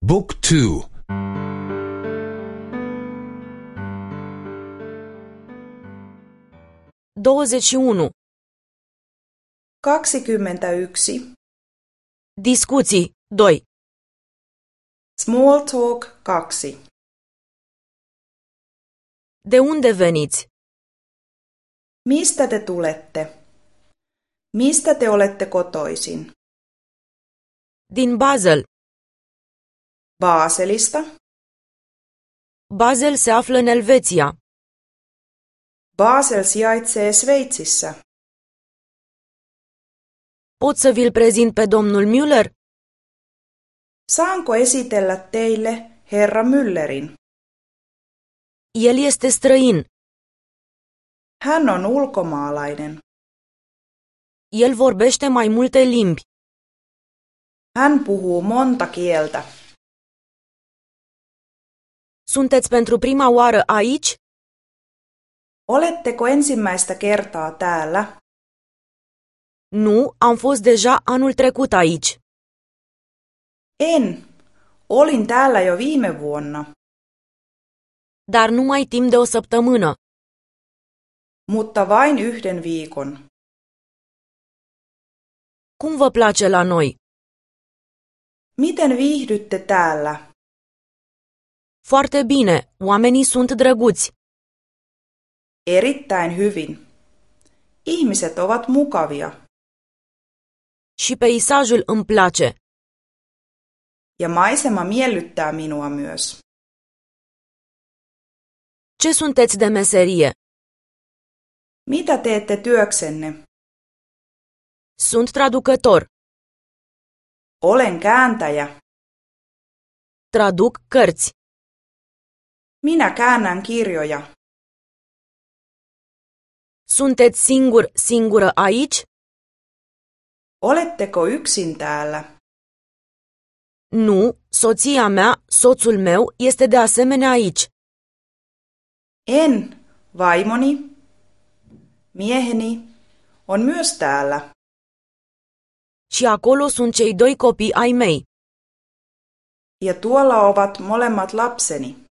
Book 2 21. 21. Discuții 2. Small talk 2. De unde veniți? Mistä te tulette? Mistä te olette kotoisin? Din Basel. Baselista? Basel se află în Elveția. Basel sijaitsee Sveitsissä. Pot să vi-l prezint pe domnul Müller? Saanko esitellä teille herra Müllerin? El este străin. Hän on ulkomaalainen. El vorbește mai multe limbi. Hän puhuu monta kieltä. Sunteți pentru prima oară aici? Oletteko ensimmäistä kertaa täällä? Nu, am fost deja anul trecut aici. En. Olin täällä jo viime vuonna. Dar numai timp de o săptămână. Mutta vain yhden viikon. Cum vă place la noi? Miten viihdytte täällä? Foarte bine, oamenii sunt drăguți. Erittäin hyvin. Ihmiset ovat mukavia. Și peisajul îmi place. Ja maisema miellyttää minua myös. Ce sunteți de meserie? Mitä teette työksenne? Sunt traducător. Olen kääntäjä. Traduc cărți. Minä käännän kirjoja. Sunteți singur, singură aici? Oletteko yksin täällä? Nu, soția mea, soțul meu este de asemenea aici. En, vaimoni, mieheni, on myös täällä. Și acolo sunt cei doi copii ai mei. Ja tuolla ovat molemmat lapseni.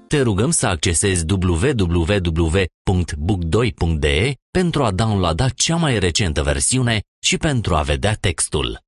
Te rugăm să accesezi www.book2.de pentru a downloada cea mai recentă versiune și pentru a vedea textul.